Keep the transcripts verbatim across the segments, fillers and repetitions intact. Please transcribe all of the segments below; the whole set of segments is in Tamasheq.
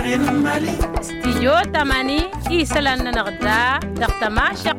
Stijyo tamani isălan-nănăɣ da dăɣ-tămašăq.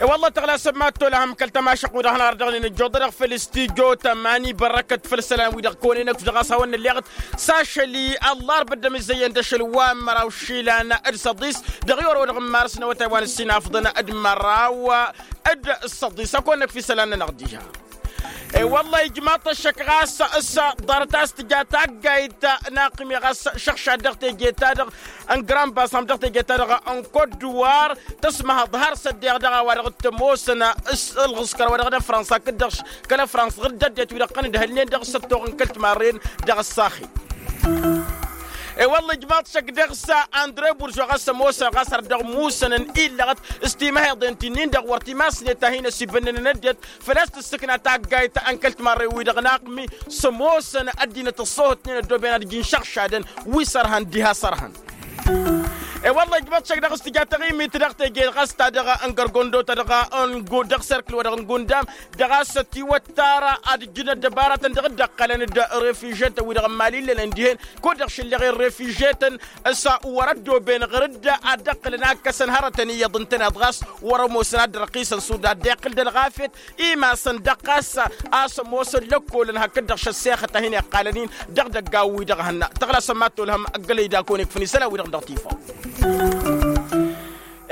I-wălla tăɣlasăm ma t-olăhăm kăl-tămašăq-wi-dăɣ hanăɣ-dăɣ-nin ǝjjuḍ-dăɣ făll-stijyo tamani bărrăkăt făll-isălan-wi-dăɣ kăwănen ăkf dăɣ-a-s hawăn-nălleɣăt s-ašăl i-ăllarb dd-ămizăyyăn d-ašăl wa n-măraw išilan d-săḍis dăɣ-i orăwădăɣ n-marǝs n-awătay wa n-ǝssinafḍăn d-măraw d-săḍis ăkk-onăk fi isălan-nănăɣ diha. I-wălla ijmaḍ-t ăššăk ɣas s-ḍarăt-as tǝja taggayt n-aqmi ɣas šăɣšad dăɣ-teje-ta-dăɣ n-grand-basam dăɣ-teje-ta-dăɣ n-kot-duwar tăsmăhăḍ har s-ăddeɣ dăɣ-a-wa-dăɣ t-ămoosăn ălɣǝskăr wa dăɣ-năfrăns hakd-dăɣ kăl-ăfrăns ɣǝr-dd ăddinăt wi-dăɣ iqqăn d-hălnen dăɣ-săttoɣ n-kăl-timarren dăɣ-ăssaxel. I-wălla ijmaḍ-t šăk dăɣ-s andre burzo ɣas ămoosăn ɣas ar dăɣ-musănăn illăɣăt s-timăheḍen ti-nin-dăɣ wăr timasnet ta hin-ăsibănnănăn ăddinăt făl-a-s tǝssǝkna taggayt n-kăl-timarren-wi-dăɣ n-aqmi s-ămoosăn ăddinăt ăṣṣoohătnen ăddooben ad-ǝjǝn šăɣšadăn wi s-ărhăn diha s-ărhăn. I-wălla ijmăḍ-t šăk dăɣ-s tǝja taɣimit dăɣ-teje ɣas ta dăɣ-n gărgondo ta dăɣ-n dăɣ-serkǝl-wa-dăɣ n-gundam dăɣ-a-s ătiwăttar ad-ǝjǝn ăddăbaratăn dăɣ-dd-ăqqălăn d-refižetăn wi-dăɣ n-imali illănen dihen kud-dăɣ šǝllăɣen refižetăn s-wăr-ăddooben ɣǝr-dd ad-dd-ăqqǝlăn akkăsăn hărătăn iyyăḍ ǝntăneḍ ɣas wăr-ămoosăn ad-dd-răqqisăn sud ad-dd-iqqǝl d-ălɣafyăt imasăn dăɣ-ɣas a-s ămoosăn lăkkolăn hakd-dăɣ šăssexăt a hin-iqqalăn-in dăɣ-idăggan-wi-dăɣ hănna tăɣlasăm ma t-olhăm ăggălăy d-akăwăn ikfăn isălan-wi-dăɣ dăɣ-tifaw.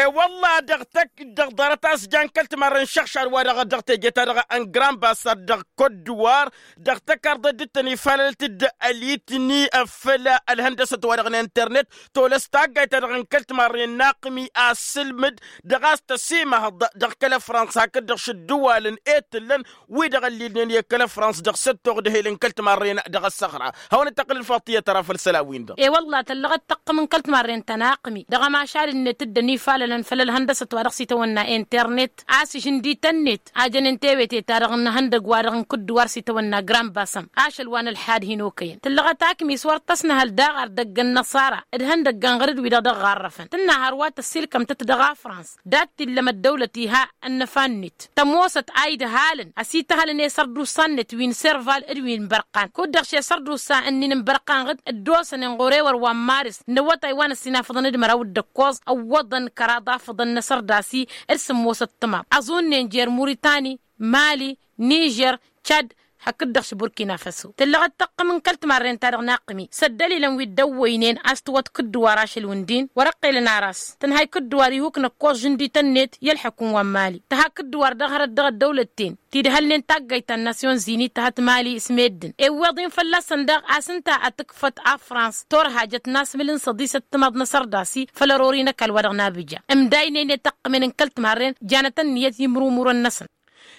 I-wălla dăɣ-tăkk dăɣ-ḍarăt a-s jan kăl-timarren šăɣšad-wa-dăɣ dăɣ-teje-ta-dăɣ n-grand-basar dăɣ-kot-duwar dăɣ-tăkarḍe dd-tăn-ifalălăt-dd ălitni făll-ălhăndăsăt-wa-dăɣ n-internet tolăs taggayt-ta-dăɣ n-kăl-timarren n-aqmi asǝlmǝd dăɣ-a-s tăsimăhăḍ dăɣ-kăl-ăfrăns hakd-dăɣ šăddǝwalăn i-tǝllăn wi-dăɣ ăllilnen i-kăl-ăfrăns dăɣ-săttoɣ d-ehel n-kăl-timarren dăɣ-ăssăɣra. Hawăn-dd-tăqqǝl ălfaḍt tiyyăt ara făll-isălan-win-dăɣ. I-wălla tăllăɣăt taqqǝm n-kăl-timarren ta n-aqmi dăɣ-ămašal-net dd-ănifalălăn făll-ălhăndăsăt wa dăɣ-s itawănna internet a-s ǝžǝndităn-net a jănen tewete-ta-dăɣ n-ihăndăg-wa-dăɣ n-kǝddǝwar s-itawănna grand-basăm ašăl wa n-ălḥad hin-okăyăn tǝllăɣăt akmi s-wăr tăsnăhăl daɣ ar dăgg-ănnăṣara d-ihăndăggan ɣăr-dd wi-dăɣ dăɣ-ɣarrăfăn tǝnna hărwa tăssilkăm-tăt dăɣ-afrăns dat-t-illa măddăwlăt iha ănnăfa-net tămoosăt a idhăhalăn ăsităhălăn i-sărdusa-net wi n-serval d-wi n-bărqan kud-dăɣ šesărdusa-ǝnnin n-bărqan ɣǝd ăddoosănen ɣur-ewăr wa n-maris n-awătay wa n-ăssinafăḍăn d-măraw d-ǝkkoẓ ǝwwăḍăn kăraḍ afăḍăn n-asărdas-i d-sǝmmosăt timaḍ ăẓunnen jer-muritani mali nižer čad hakd-dăɣ s-burkina faso tǝllăɣăt tăqqǝm n-kăl-timarren-ta-dăɣ n-aqmi s-ăddălilăn wi dd-ăwwăynen a-s tǝwwăḍ kǝddǝwar ašăl-wǝndin wăr-ăqqelăn aras tǝnhay kǝddǝwar ihuk n-ǝkkoẓ žǝndităn-net i-ălḥăkum wa n-mali tǝha kǝddǝwar dăɣ-hărăt dăɣ-ăddăwlăt-ten ti d-hălnen taggayt ta n-nasyon zini tǝhăt mali s-meddǝn iwweḍ-in fălla-săn daɣ a-s ǝnta ad-tǝkfăt afrans turhajăt n-asmǝl n-săḍisăt timaḍ n-asărdas-i făll-ărori n-ăkall wa dăɣ-nabǝja ǝmdaynen i-tăqqǝmen n-kăl-timarren janăt ănniyăt i-imrumurăn-năsăn.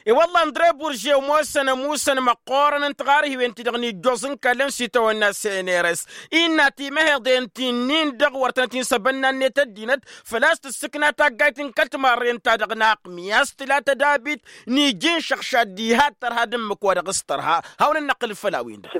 I-wălla ăndre burže ămoosăn ămusăn măqqoorăn n-tiɣarhiwen-ti-dăɣ n-ijjoẓ n-kallăn s-itawănna seneres innă timăheḍen ti-nin-dăɣ wăr tănăt-in-săbănna-net ăddinăt făl-a-s tǝssǝkna taggayt n-kăl-timarren-ta-dăɣ n-aqmi a-s tǝla tădabit n-iji n-išăɣšad diha d-tărha d-ǝmmǝk wa dăɣ-s tărha. Hawăn-ănnăqqǝl făll-a-wen-dăɣ.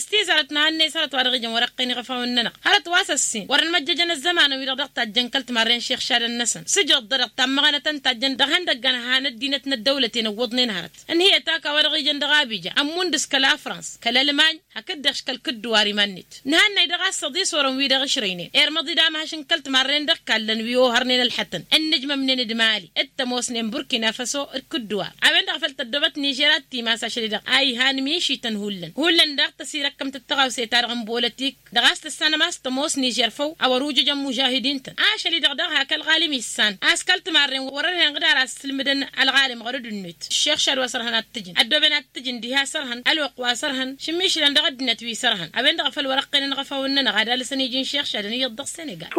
S-tizarăt n-ahănnes hărăt wa dăɣ-ijăn wăr-ăqqen iɣăfawăn-nănăɣ hărăt wa s-ăssin wăr-ănmăjjăjăn ăzzămanăn-wi-dăɣ dăɣ-tajjăn kăl-timarren išixšadăn-năsăn s-ǝjăḍ-dăɣ tammăɣănăt ǝntajjăn dăɣ-ihăndăggan han ăddinăt n-ăddăwlăten ǝwwăḍnen hărăt ǝnhǝyăt ak a-wa dăɣ-ijăn dăɣ-abija ămmund s-kăl-afrans kăl-ălmany hakd-dăɣ-š kăl-kǝddǝwar iman-net. Nǝhănnay dăɣ-a-s săḍisor n-wi-dăɣ ǝšrăynen irmăḍ-dd amhăš n-kăl-timarren dăɣ-kallăn wi ohărnen ălxătăn ǝnnǝjmămnen d-mali d-tămoosnen burkina faso d-kǝddǝwar a-wen-dăɣ făl tăddoobăt nižer ad-timas ašăl-i-dăɣ a ihan mišităn hullan hullan daɣ tăsirăkkăm-tăt tăɣawse-ta-dăɣ n-bolătik dăɣ-a-s tǝssanăm a-s tămoos nižer făw a wăr-ujǝjăn mužahidin-tăn ašăl-i-dăɣ daɣ hak ălɣalim issan a-s kăl-timarren wăr-ărhen ɣǝd ar asǝlmǝdăn ălɣalim ɣur-dd-net. Ǝššeɣšad wa s-ărhăn ad-t-ǝjǝn ăddooben ad-t-ǝjǝn diha s-ărhăn ălwăqq wa s-ărhăn šǝmmišǝlăn dăɣ-ăddinăt wi s-ărhăn a-wen-dăɣ a făl wăr-ăqqenăn iɣăfawăn-nănăɣ ad-alǝsăn iji n-išixšadăn iyyăḍ dăɣ-senegal.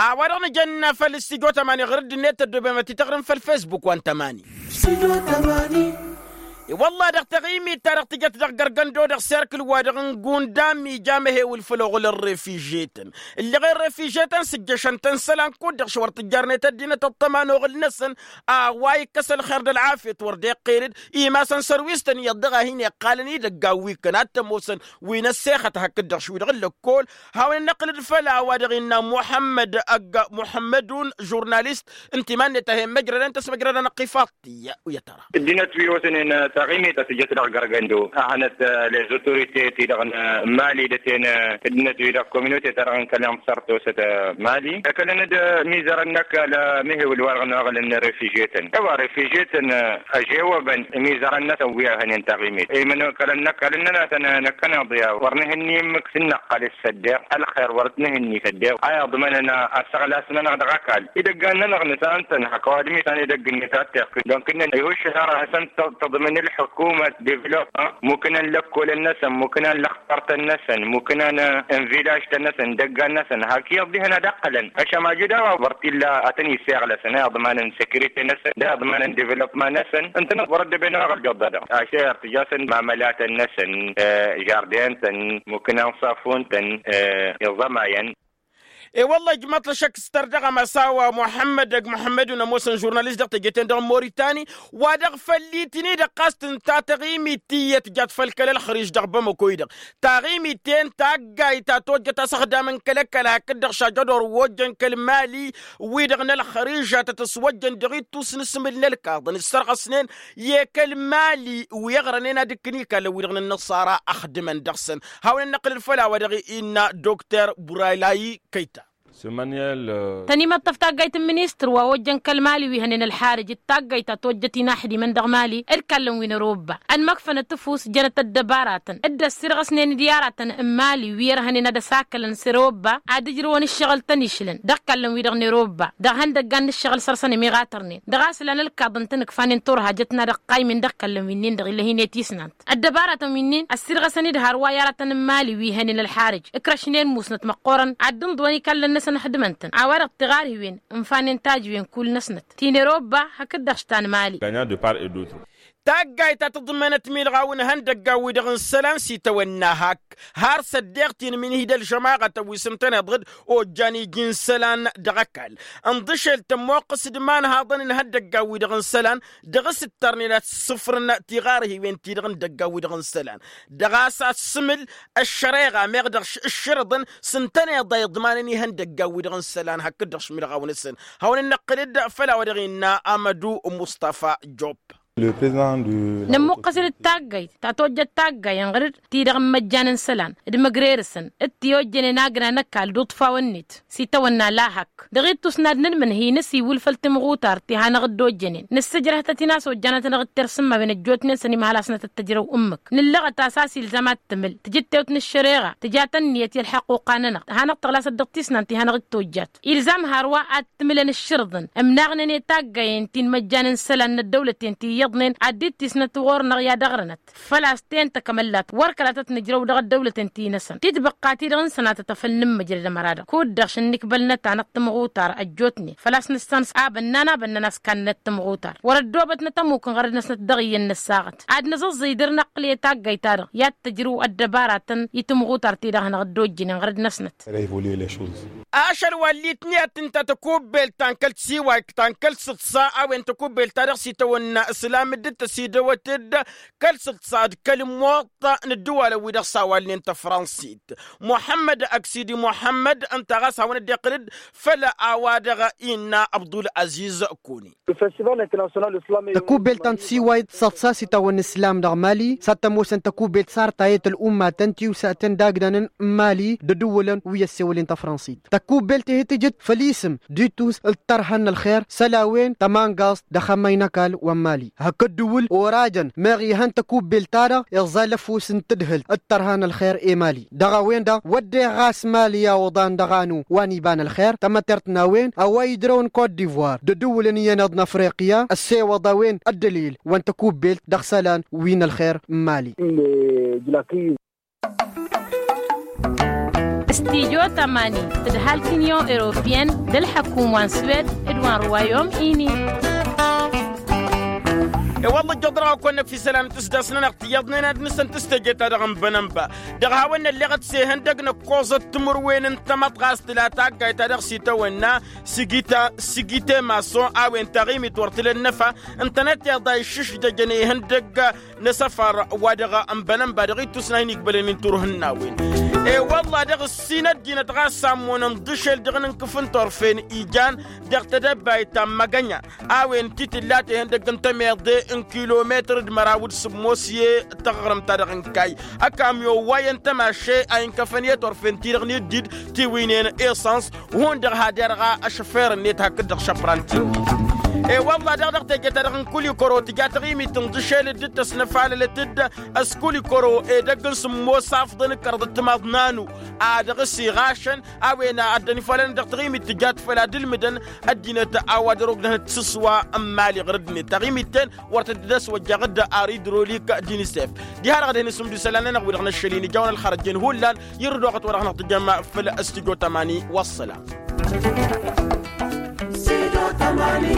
A-wa-dăɣ nǝjănna făll-s tijo tămani ɣur-dd-net ăddooben ad-t-tăɣrǝm făll-fesbuk wa n-tămani. I-wălla-hi dăɣ-taɣimit-ta-dăɣ tǝjăt dăɣ-gărgăndo dăɣ-serkǝl-wa-dăɣ n-gundam ija amăhewǝl făll-oɣǝl n-refižetăn ǝlleɣen refižetăn s-ǝjjăšăn-tăn isălan kud-dăɣ š-wăr tǝjjarnet ăddinăt ăṭṭăma n-oɣǝl-năsăn. A-wa ikkăs ălxer d-ălɣafyăt wăr dd-iqqel-dd imasăn sărwis-tăn iyyăḍ dăɣ-a hin-iqqalăn idăggan wi ǝkkăn ad-t-ămoosăn wi n-ăssexăt hakd-dăɣ šwi-dăɣ n-lăkkol. Hawăn-in-năqqǝl-dd făll-a-wa-dăɣ innă muḥămmăd ăgg muḥămmădun žurnalist n-timan-net a he-immăjrădăn tăsmăjrăd-anăɣ-t ifaḍ-t iyyă. Wi ătăra ăddinăt wi osănen. Taɣimit a tǝjăt dăɣ-gărgăndo a hănăt les autorités-i-dăɣ n-mali d-ăten ǝddinăt-wi-dăɣ communauté-ta-dăɣ n-kăl-inṣăr tosăt mali ăkălăn-dd mizărăn n-ăkall. Mihewǝl wa-dăɣ n-oɣălăn n-refugié-tăn e-wa refugié-tăn ăžewăbăn mizărăn-năsăn wi ăhănen taɣimit i-mănokălăn n-ăkall ǝnnăn a tăn-năkkăneḍ i-a-wa wăr nǝhǝnni ǝmmǝk s-ǝnnăqqal s-săddeɣ ălxer wăr t-nǝhǝnni s-săddeɣ a iḍmănăn asăɣlas-nănăɣ dăɣ-ăkall. Idăggan-nănăɣ nǝsantăn hak ăwadǝm-i san idăgg-net a t-iqqǝl donc ǝnnăn ihǝššǝl har ad-hasăn-tăḍ tǝḍmǝn ǝlḥǝkumăt developpement mukǝnăn lăkkolăn-năsăn mukǝnăn lăxtartăn-năsăn mukǝnăn n-villaž-tăn-năsăn idăggan-năsăn hak iyyăḍ dihen ad-ăqqălăn. Ašămajud a-wa wăr t-illa ad-tăn-isseɣlăsăn a iḍmanăn sécurité-năsăn d-a iḍmanăn developpement-năsăn. Ǝntăneḍ wăr-ăddăben a-wa ɣǝl jăḍḍa-dăɣ ašăr tǝjasăn mamălatăn-năsăn žardin-tăn mukǝnăn safun-tăn iẓămayăn. E-wălla-hi ǝjmăḍ-t ăššăk s-tărdăɣăm a-s a-wa muḥămmăd ăgg muḥămmăd-un ămoosăn žurnalist dăɣ-teje-ten-dăɣ n-moritani wa-dăɣ făll-itǝn-i-dăɣ ɣas tǝnta taɣimit tiyyăt jat făll-kăl-ălxărǝž dăɣ-bamăko-i-dăɣ taɣimit-en taggayt ta tojjăt asăxdam n-kăl-ăkall hakd-dăɣ šajădor ojjăn kăl-mali wi-dăɣ n-ălxărǝžat a tăswăjjăn dăɣ-ittus n-asǝmǝl n-ălkaḍăn ǝssărɣăsnen i-kăl-mali wi ăɣrănen ad-ǝkkǝn ikallăn wi-dăɣ n-ănnăṣara ăxdǝmăn dăɣ-săn. Hawăn-ănnăqqǝlăl făll-a-wa dăɣ-innă dokter buralayi kăyta. Tăn-imăṭṭăf taggayt n-ministăr wa ojjăn kăl-mali wi hănen ălxarǝj d-taggayt ta tojjăt inaxdimăn dăɣ-mali d-kallăn wi n-erobba ănmăkfănăt ăfuss jănăt ăddăbaratăn d-ăssirɣăsnen d-i-aratăn n-mali wi ărhănen ad-ăsakălăn s-erobba ad-ǝjrǝwăn ǝššăɣǝl tăn-išlăn dăɣ-kallăn wi-dăɣ n-erobba dăɣ-ihăndăggan n-ǝššăɣǝl săr-săn ămiɣatărnen dăɣ-a-s ǝlan ălkaḍăn-tăn ǝkfanen turhajăt n-ad-ăqqaymen dăɣ-kallăn wi-nin-dăɣ ila hin-e-tisnant. Ăddăbaratăn wi-nin ăssirɣăsăn-dd hărwa i-aratăn n-mali wi hănen ălxarǝj ǝkrăšnen musnăt măqqoorăn ad-dd-ǝnḍǝwăn ikallăn-năsăn ăxdǝmăn-tăn a-wa-dăɣ tiɣarhiwen ǝnfanen tajǝwen kull-năsnăt ti n-erobba hakd-dăɣ š-ta n-mali. Taggayt ta tǝḍmănăt milɣaw n-ihăndăggan-wi-dăɣ n-isălan s-itawănna hak har s-ăddeɣ-t-in min-hi d-ălžămaɣătăn wi s-ǝntăneḍ-dd ojjan iji n-isălan dăɣ-ăkall. Ǝnḍǝšel tămmoqqǝs d-imanhaḍăn n-ihăndăggan-wi-dăɣ n-isălan dăɣ-s ǝttărnen ad-sǝfrǝn tiɣarhiwen-ti-dăɣ n-idăggan-wi-dăɣ n-isălan dăɣ-a-s asǝmǝl ăššăreɣa meɣ dăɣ-s ǝššǝrǝḍăn s-ǝntăneḍ a iḍmanăn ihăndăggan-wi-dăɣ n-isălan hakd-dăɣ šmǝlɣaw-năsăn. Hawăn-ănnăqqǝl-dd făll-a-wa dăɣ-innă amădu mustafa job. Nămmuqqăs-dd taggayt ta tojjăt taggay ănɣăr-dd ti-dăɣ n-imăjjan n-isălan d-imăgrerǝsăn d-ti ojjănen agna n-ăkall d-uḍfawăn-net s-itawănna lahak dăɣ-ittus n-ad-nǝnmǝnhǝy nǝsiwǝl făll-timɣutart ti hanăɣ-dd-ojjănen nǝssǝjrăh-tăt-in a-s ojjanăt-anăɣ d-tersǝmmawen ăjjootnen săn imhălasnăt d-tăjrăw ǝmmǝk nǝllăɣăt a-s a-s ilzam ad-tǝmǝl tǝjǝttewt n-ăššăreɣa tǝja-tăn ǝnniyăt i-ălḥăqquqa-nănăɣ hanăɣ-tăɣlasăt dăɣ-tisnant ti hanăɣ-dd-tojjat ilzam hărwa ad-tǝmǝlăn ǝššǝrǝḍăn ǝmnaɣnen i-taggayen ti n-imăjjan n-isălan n-ăddăwlăten ti iyyăḍnen ad-dd-tisnăt ɣur-năɣ i-ad-ăɣrănăt făl-a-s ten-tăkk amăllat wăr kăla tăt-nǝjrăw dăɣ-ăddăwlăten ti-năsăn titbăqqa-ti-dăɣ n-sănatăt a făl nǝmmǝjrăd ămăra-dăɣ kud-dăɣ šăn n-ikbăl n-ăta n-ăṭṭǝmɣutar ăjjootnen făl-a-s nǝssan s-abănnan abănnan a-s kannăn ăṭṭǝmɣutar wăr-ăddoobătnăt ămuk ănɣărăd-năsnăt dăɣ-iyyăn n-ăssaɣăt ad-nǝẓǝẓẓǝy dăr-năqqǝl i-taggayt-ta-dăɣ i-ad-tǝjrǝw ăddăbaratăn i-timɣutar-ti-dăɣ hanăɣ-dd-ojjǝnen ɣărăd-năsnăt. Ašăl wa ăllitni ad-tǝnta tăkubbelt ta n-kăl-tiwayt ta n-kăl-sǝḍsa a-wen tăkubbelt-ta-dăɣ s-itawănna ǝslam dd-tăsidăwăt-dd kăl-sǝḍsa d-kăl-ămmoḍt n-ăddǝwalăn-wi-dăɣ s-a-wa ǝlnen tăfransǝt muḥămmăd ăksidi muḥămmăd ǝnta ɣas hawăn-ăddiqǝl-dd făll-a-wa-dăɣ innă abdul-aziz kuni. Tăkubbelt ta n-tiwayt săḍsa s-itawănna islam dăɣ-mali s-ad-tămoosăn tăkubbelt sartayăt ăl'ummatăn tiwsatăn d-agdanăn n-mali d-ădǝwǝlăn wi ăssewălnen tăfransǝt tăkubbelt-e-hi tǝjǝt făll-isǝm d-itus d-tărha n-ălxer isălan-wen tămangaẓt d-axămmay n-ăkall wa n-mali hakd ăddǝwǝl orajăn meɣ ihăn tăkubbelt-ta-dăɣ iẓẓal ăfuss n-tadhǝlt d-tărha n-ălxer i-mali dăɣ-a-wen-dăɣ wădden ɣas mali i-a oḍan dăɣ-anu wa n-iba n-ălxer tamătert n-a-wen a-wa ijrăw n-kot divoir d-edǝwǝlăn iyyăn iḍ n-afriqya ăssewăḍ a-wen ăddălil wa n-tăkubbelt dăɣ-isălan wi n-ălxer n-mali. Stijo tămani tǝdhal tinyon europiyăn d-ălḥăkum wa n-swed d-wa n-ruwayom ini. I-wălla ǝjjăḍ-dăɣ a kăwăn-năkf isălan n-tǝsdasnănăɣ tiyyăḍnen ad-nǝsăn tǝsteje-ta-dăɣ n-bănănba dăɣ-hawăn-nălleɣăt s-ehăndăg n-ăkkoẓăt timǝrwen n-tamăḍɣast tǝla taggayt-ta-dăɣ s-itawănna sigita sigite mason a-wen taɣimit wăr tǝla ănnăfa ǝntănăt iḍa iššǝšdăjăn ihăndăg n-asăfar wa dăɣ-ănbănănba dăɣ-ittus n-a hin-igbălăn inturhǝnnawen. E-wălla-dăɣ ǝssin ăddinăt ɣas ammonăn d-ašel dăɣ-nǝnkǝf n-turfen ijan dăɣ-tedăbbayt ta n-măgănya a-wen ti tǝlla tehăndăgg n-temeḍe n-kilometăr d-măraw d-sǝmmos i-taɣrǝmt-ta-dăɣ n-kayy. Ăkamyon wa i-ăntămaše a inkăfăn i-turfen-ti-dăɣ n-iddid tiwǝynen esăns. Hundăɣ had-irɣa ašăfer-net hakd-dăɣ šăpran-t-in. E-wălla-dăɣ dăɣ-teje-ta-dăɣ n-kulikoro tǝja taɣimit n-dăšel dd-tăsnăfalălăt-dd ăskulikoro edăgg n-sǝmmos afḍăn d-kăraḍ d-timaḍ n-anu a dăɣ-s iɣašăn. A-wen a ăddănifalăn dăɣ-taɣimit tǝjat făll-ad-ǝlmǝdăn ăddinăt a-wa dăr-ogdăhnăt s-ǝswa n-imali ɣur-ăddinăt taɣimit-ten. Wăr tăt-dd-ăss wăjjaɣ-dd ar idrolik d-inisef. Diha-dăɣ ad-hin-isǝmdǝw isălan-nănăɣ wi-dăɣ n-ašăl-in ija a-wen ălxărăjjen hullan. Irǝd oɣăt wa dăɣ-năɣ tǝjăm făll-stujo tămani. Wăssălam. Stujo tămani.